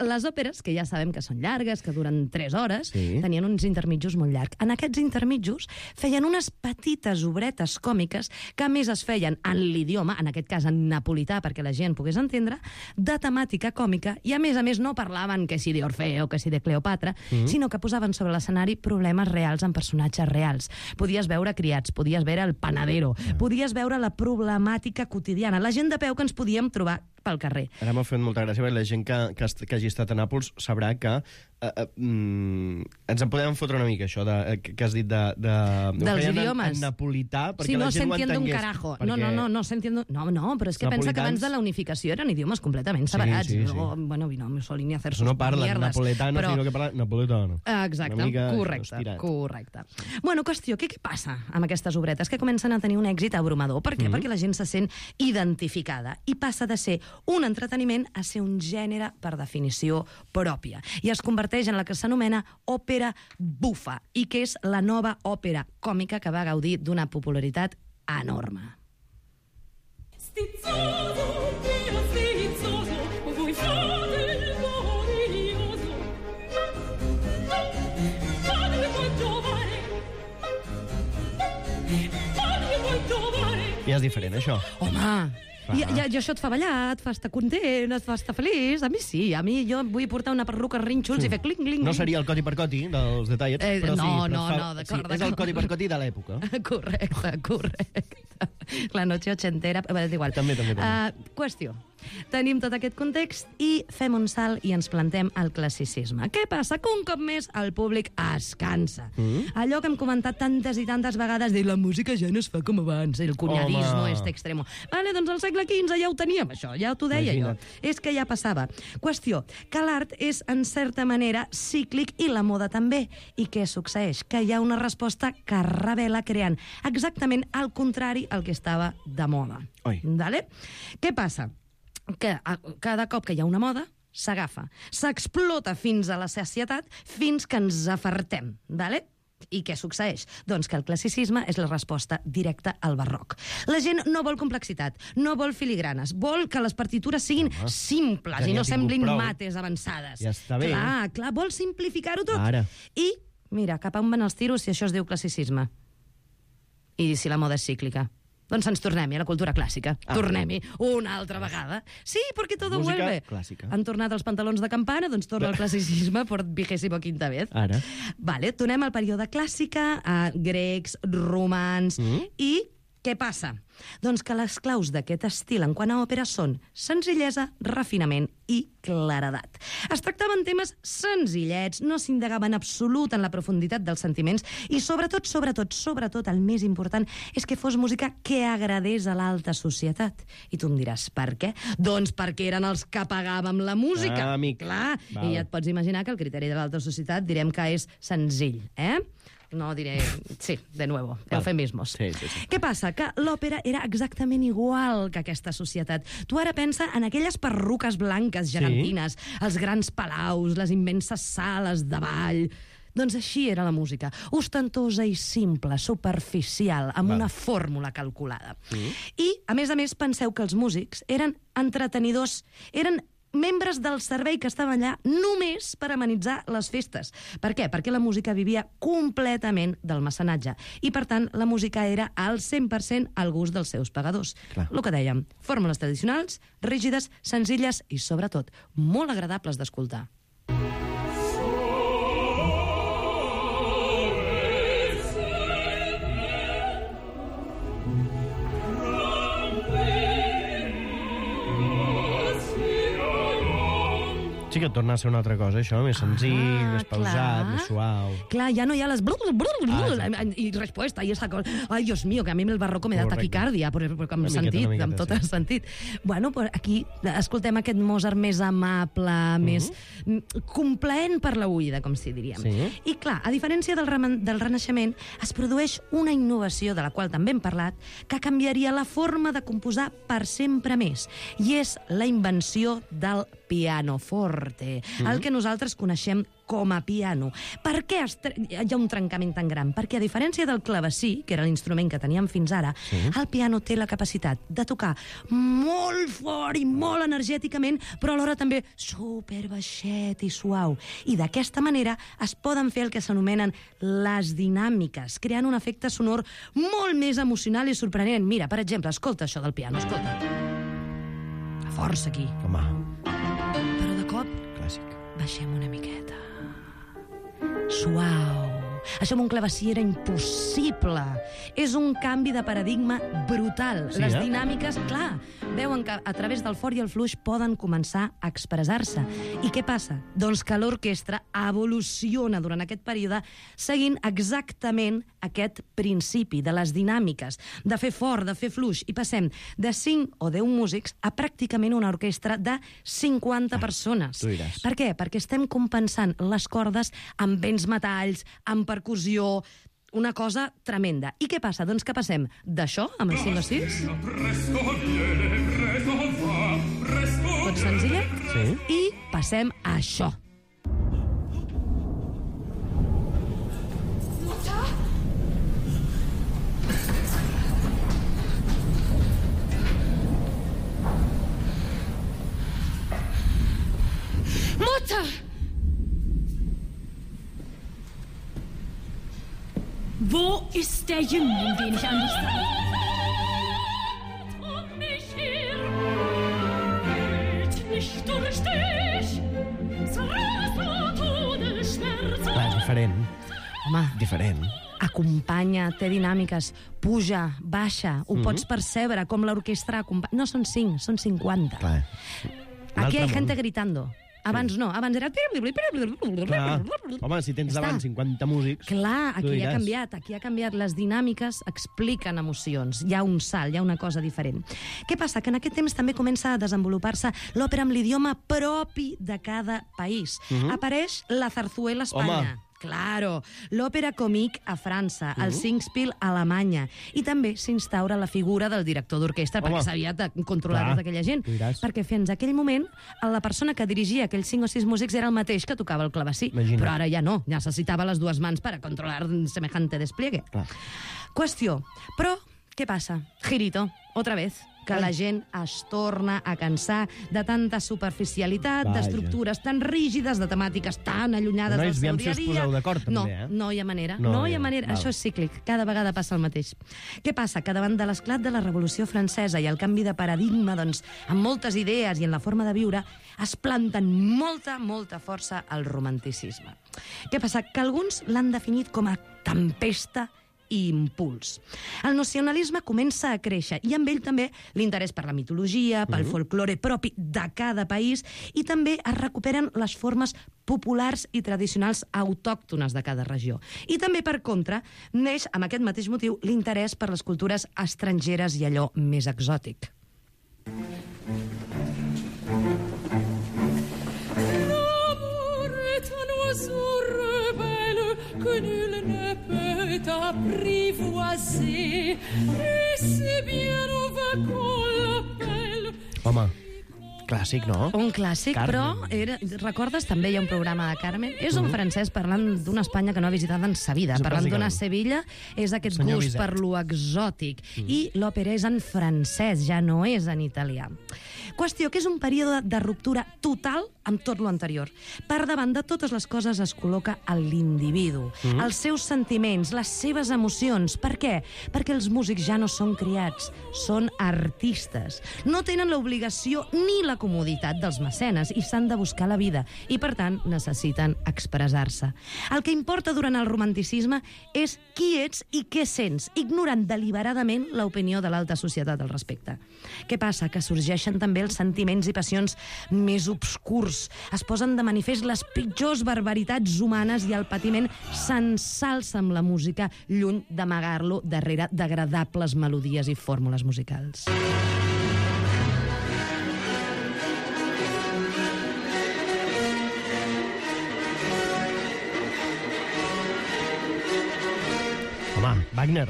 Les òperes, que ja sabem que són llargues, que duren 3 hores, tenien uns intermitjos molt llargs. En aquests intermitjos feien unes petites obretes còmiques que a més es feien en l'idioma, en aquest cas en napolità, perquè la gent pogués entendre, de temàtica còmica, i a més no parlaven que si d'Orfeo, que si de Cleopatra, sinó que posaven sobre l'escenari problemes reals en personatges reals. Podies veure criats, podies veure el panadero, podies veure la problemàtica quotidiana, la gent de peu que ens podíem trobar pel carrer. Ara m'ha fet molta gràcia, perquè la gent que hagi estat a Nàpols sabrà que ens en podem fotre una mica, això que has dit dels idiomes. En napolità, perquè sí, la gent ho entengués. Un carajo. No s'entiende... No, però és que pensa que abans de la unificació eren idiomes completament separats. Sí. Bueno, vino Mussolini a hacer sus no parlen mierdes, napoletano, sinó que parlen napoletano. Exacte, correcte. Bueno, qüestió, què passa amb aquestes obretes? Que comencen a tenir un èxit abrumador. Per què? Perquè la gent se sent identificada i passa de ser un entreteniment a ser un gènere per definició pròpia. I es converteix en la que s'anomena òpera bufa, i que és la nova òpera còmica que va gaudir d'una popularitat enorme. Stizzoso, Dio stizzoso, vuoi fare il glorioso? Padre vuoi giovare? Padre vuoi giovare? Ja és diferent, això. Home! I això et fa ballar, et fa estar content, et fa estar feliç. A mi sí, jo vull portar una perruca rinxols i fer cling, cling. No seria el coti per coti dels detallets, però d'acord. És el coti per coti de l'època. Correcte. La noche ochentera... És igual. També. Qüestió. Tenim tot aquest context i fem un salt i ens plantem al classicisme. Què passa? Que un cop més el públic es cansa. Allò que hem comentat tantes i tantes vegades de la música ja no es fa com abans, el cunyadismo este extremo. Vale, doncs al segle XV ja ho teníem, això, ja t'ho deia jo. És que ja passava. Qüestió, que l'art és, en certa manera, cíclic i la moda també. I què succeeix? Que hi ha una resposta que revela creant exactament el contrari al que estava de moda. Vale? Què passa? Que cada cop que hi ha una moda, s'agafa, s'explota fins a la sacietat, fins que ens afartem, ¿vale? I què succeeix? Doncs que el classicisme és la resposta directa al barroc. La gent no vol complexitat, no vol filigranes, vol que les partitures siguin simples i no semblin mates avançades. Ja està bé. Clar, vol simplificar-ho tot. Ara. I, mira, cap a on van els tiros si això es diu classicisme? I si la moda és cíclica? Doncs ens tornem-hi a la cultura clàssica. Tornem-hi una altra vegada. Sí, perquè todo vuelve. Clàssica. Han tornat els pantalons de campana, doncs torna el classicisme per 25ª vez. Ara. Vale, tornem al període clàssica, a grecs, romans, i Què passa? Doncs que les claus d'aquest estil en quant a òpera són senzillesa, refinament i claredat. Es tractaven temes senzillets, no s'indagava en absolut en la profunditat dels sentiments i sobretot, el més important és que fos música que agradés a l'alta societat. I tu em diràs, per què? Doncs perquè eren els que pagàvem la música. Ah, amic. Clar, Val. i ja et pots imaginar que el criteri de l'alta societat direm que és senzill, No diré... Sí, de nuevo, eufemismos. Sí. Què passa? Que l'òpera era exactament igual que aquesta societat. Tu ara pensa en aquelles perruques blanques gegantines, els grans palaus, les immenses sales de ball... Doncs així era la música, ostentosa i simple, superficial, amb una fórmula calculada. I, a més, penseu que els músics eren entretenidors, eren membres del servei que estaven allà només per amenitzar les festes. Per què? Perquè la música vivia completament del mecenatge i, per tant, la música era al 100% al gust dels seus pagadors. El que dèiem, fórmules tradicionals, rígides, senzilles i, sobretot, molt agradables d'escoltar. Sí que torna a ser una altra cosa, això, més senzill, més pausat, més suau. Clar, ja no hi ha les... I resposta, i esa cosa. Ai, Dios mío, que a mi el barroco me da taquicàrdia, perquè amb sentit, amb tot el sentit. Bueno, aquí escoltem aquest Mozart més amable, més complaent per la oïda, com si diríem. I clar, a diferència del Renaixement, es produeix una innovació, de la qual també hem parlat, que canviaria la forma de composar per sempre més. I és la invenció del pianoforte, el que nosaltres coneixem com a piano. Per què hi ha un trencament tan gran? Perquè, a diferència del clavecí, que era l'instrument que teníem fins ara, el piano té la capacitat de tocar molt fort i molt energèticament, però alhora també superbaixet i suau. I d'aquesta manera es poden fer el que s'anomenen les dinàmiques, creant un efecte sonor molt més emocional i sorprenent. Mira, per exemple, escolta això del piano, escolta. Força aquí. Home. Però de cop, baixem una miqueta. Suau. Això amb un clavecí era impossible. És un canvi de paradigma brutal. Les dinàmiques, clar, veuen que a través del fort i el fluix poden començar a expressar-se. I què passa? Doncs que l'orquestra evoluciona durant aquest període seguint exactament aquest principi de les dinàmiques, de fer fort, de fer fluix, i passem de 5 o 10 músics a pràcticament una orquestra de 50 persones. Per què? Perquè estem compensant les cordes amb vents metalls, amb percussió, una cosa tremenda. I què passa? Doncs que passem d'això, amb el 5 o 6... Tot senzillet? Sí. I passem a això. Mutter! Wo ist der Jüngling, den ich an dich sah? Mich hier, nicht durch dich, Todesschmerz. Clar, és diferent. Home, Diferent. acompanya, té dinàmiques, puja, baixa, ho pots percebre, com l'orquestra acompanya... No són 5, són 50. Clar. Aquí hay gente gritando. Abans no, abans era... Clar. Home, si tens davant 50 músics... Clar, tu aquí ha diràs. canviat. Les dinàmiques expliquen emocions. Hi ha un salt, hi ha una cosa diferent. Què passa? Que en aquest temps també comença a desenvolupar-se l'òpera amb l'idioma propi de cada país. Apareix la zarzuela a Espanya. Home. Claro, l'òpera comique a França, el Singspiel a Alemanya, i també s'instaura la figura del director d'orquestra, perquè s'havia de controlar tota aquella gent. Perquè fins aquell moment la persona que dirigia aquells 5 o 6 músics era el mateix que tocava el clavecí. Imagina't. Però ara ja no, necessitava les dues mans per a controlar semejante despliegue. Qüestió, però què passa? Girito, otra vez, que la gent es torna a cansar de tanta superficialitat, d'estructures tan rígides, de temàtiques tan allunyades del seu dia a dia. Si us poseu d'acord, també, No hi ha manera. No hi ha manera. Això és cíclic. Cada vegada passa el mateix. Què passa? Que davant de l'esclat de la Revolució Francesa i el canvi de paradigma, doncs, amb moltes idees i en la forma de viure, es planten molta força al romanticisme. Què passa? Que alguns l'han definit com a tempesta i impuls. El nacionalisme comença a créixer i amb ell també l'interès per la mitologia, pel folklore propi de cada país i també es recuperen les formes populars i tradicionals autòctones de cada regió. I també, per contra, neix amb aquest mateix motiu l'interès per les cultures estrangeres i allò més exòtic. Que nul ne peut apprivoiser, et c'est bien au vain qu'on l'appelle. Home, clàssic, no? Un clàssic, Carmen. però recordes també hi ha un programa de Carmen? És un francès parlant d'una Espanya que no ha visitat en sa vida, parlant d'una Sevilla, és aquest Senyor gust Bizet. per lo exòtic. I l'òpera és en francès, ja no és en italià. Qüestió que és un període de ruptura total amb tot lo anterior. Per davant de totes les coses es col·loca l'individu, els seus sentiments, les seves emocions. Per què? Perquè els músics ja no són criats, són artistes. No tenen l'obligació ni la comoditat dels mecenes i s'han de buscar la vida i, per tant, necessiten expressar-se. El que importa durant el romanticisme és qui ets i què sents, ignorant deliberadament l'opinió de l'alta societat al respecte. Què passa? Que sorgeixen també els sentiments i passions més obscurs. Es posen de manifest les pitjors barbaritats humanes i el patiment s'ensalça amb la música, lluny d'amagar-lo darrere d'agradables melodies i fórmules musicals. Home, Wagner.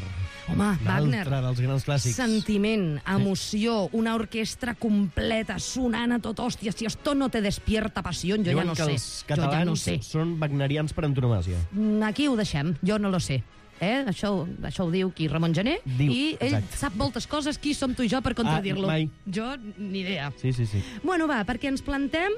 Home, Wagner. L'altre dels grans clàssics. Sentiment, emoció, una orquestra completa, sonant a tot, hòstia, si esto no te despierta passió, jo ja no sé. Diuen que els Jo ja no catalans sé. són wagnerians per antonomàsia. Aquí ho deixem, jo no lo sé. Això ho diu qui? Ramon Gené. Diu, I ell exacte. sap moltes coses. Qui som tu i jo per contradir-lo? mai. Jo, ni idea. Sí. Bueno, va, perquè ens plantem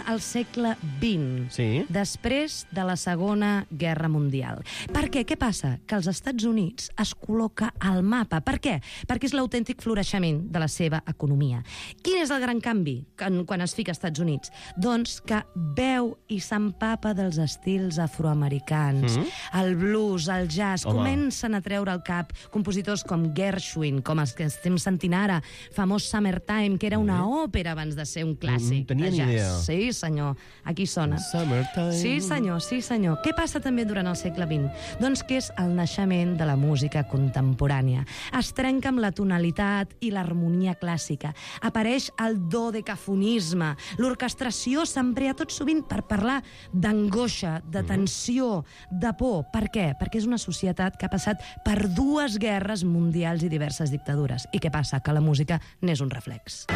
al segle XX, Sí. després de la Segona Guerra Mundial. Per què? Què passa? Que els Estats Units es col·loca al mapa. Per què? Perquè és l'autèntic floreixement de la seva economia. Quin és el gran canvi quan es fica als Estats Units? Doncs que veu i s'empapa dels estils afroamericans. El blues, el jazz, Home. comencen a treure al cap compositors com Gershwin, com els que estem sentint ara, famós Summertime, que era una òpera abans de ser un clàssic tenia de ni jazz. idea. Sí, senyor. Aquí sona. Summertime. Sí, senyor, sí, senyor. Què passa també durant el segle XX? Doncs que és el naixement de la música contemporània. Es trenca amb la tonalitat i l'harmonia clàssica. Apareix el dodecafonisme. L'orquestració s'emprea tot sovint per parlar d'angoixa, de tensió, de por. Per què? Perquè és una societat que ha passat per 2 guerres mundials i diverses dictadures. I què passa? Que la música n'és un reflex.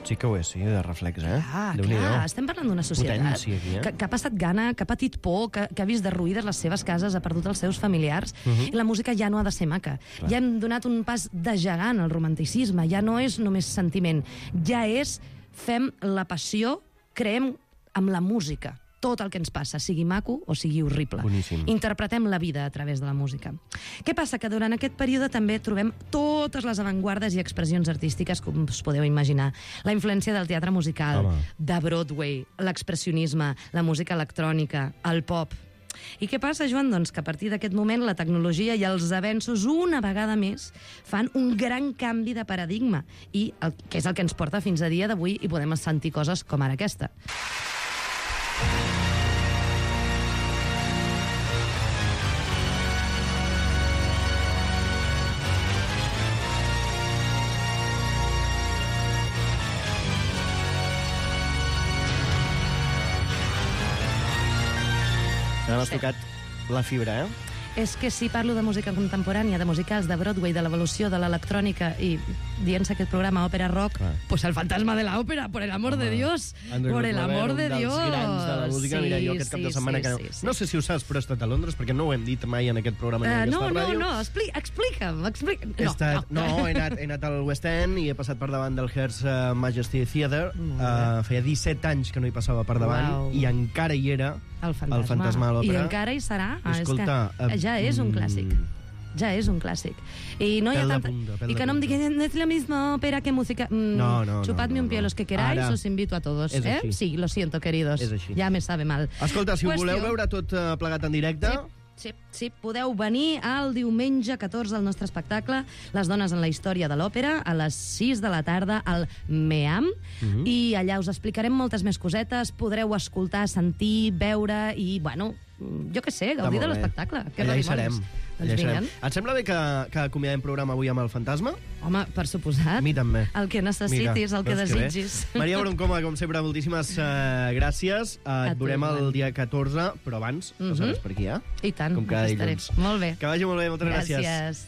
Sí que ho és, sí, de reflex, eh? Déu-n'hi-do. Clar, estem parlant d'una societat Potència aquí, que ha passat gana, que ha patit por, que ha vist derruïdes les seves cases, ha perdut els seus familiars, i la música ja no ha de ser maca. Ja hem donat un pas de gegant al romanticisme, ja no és només sentiment, ja és fem la passió, creem amb la música tot el que ens passa, sigui maco o sigui horrible. Boníssim. Interpretem la vida a través de la música. Què passa? Que durant aquest període també trobem totes les avantguardes i expressions artístiques, com us podeu imaginar. La influència del teatre musical, Home. de Broadway, l'expressionisme, la música electrònica, el pop. I què passa, Joan? Doncs que a partir d'aquest moment la tecnologia i els avenços una vegada més fan un gran canvi de paradigma, i que és el que ens porta fins a dia d'avui i podem sentir coses com ara aquesta. Ara m'has tocat la fibra, eh? És que si parlo de música contemporània, de musicals, de Broadway, de l'evolució de l'electrònica i dient-se aquest programa òpera rock, pues el fantasma de la òpera, por el amor de Dios, por el amor de Dios. Un dels grans de la música. Mira, jo aquest cap de setmana que no sé si ho saps, però he estat a Londres, perquè no ho hem dit mai en aquest programa ni en aquesta ràdio. No, explica'm. No, he anat al West End i he passat per davant del Her Majesty Theatre. Feia 17 anys que no hi passava per davant i encara hi era el fantasma a l'òpera. I encara hi serà. Escolta, és que ja és un clàssic. Ja és un clàssic. I no hi ha Pèl de tanta... punta, pèl I de que no em punta. diguin, es la misma ópera que música... No. Chupadme un pie los que queráis, Ara. os invito a todos. És així. Sí, lo siento, queridos. És així. Ja me sabe mal. Escolta, si ho voleu veure tot plegat en directe... Sí, podeu venir el diumenge 14 al nostre espectacle Les dones en la història de l'òpera a les 6 de la tarda al MEAM i allà us explicarem moltes més cosetes, podreu escoltar, sentir, veure i, bueno, jo què sé, gaudir de l'espectacle. Allà hi serem. Doncs vinguen. Et sembla bé que acomiadem programa avui amb el fantasma? Home, per suposat. A mi també. El que necessitis, el que veus que bé. desitgis. Maria Broncoma, com sempre, moltíssimes gràcies. Et veurem el dia 14, però abans passaràs per aquí, eh? I tant, Com cada aquí estaré. dilluns. Molt bé. Que vagi molt bé, moltes gràcies. Gràcies.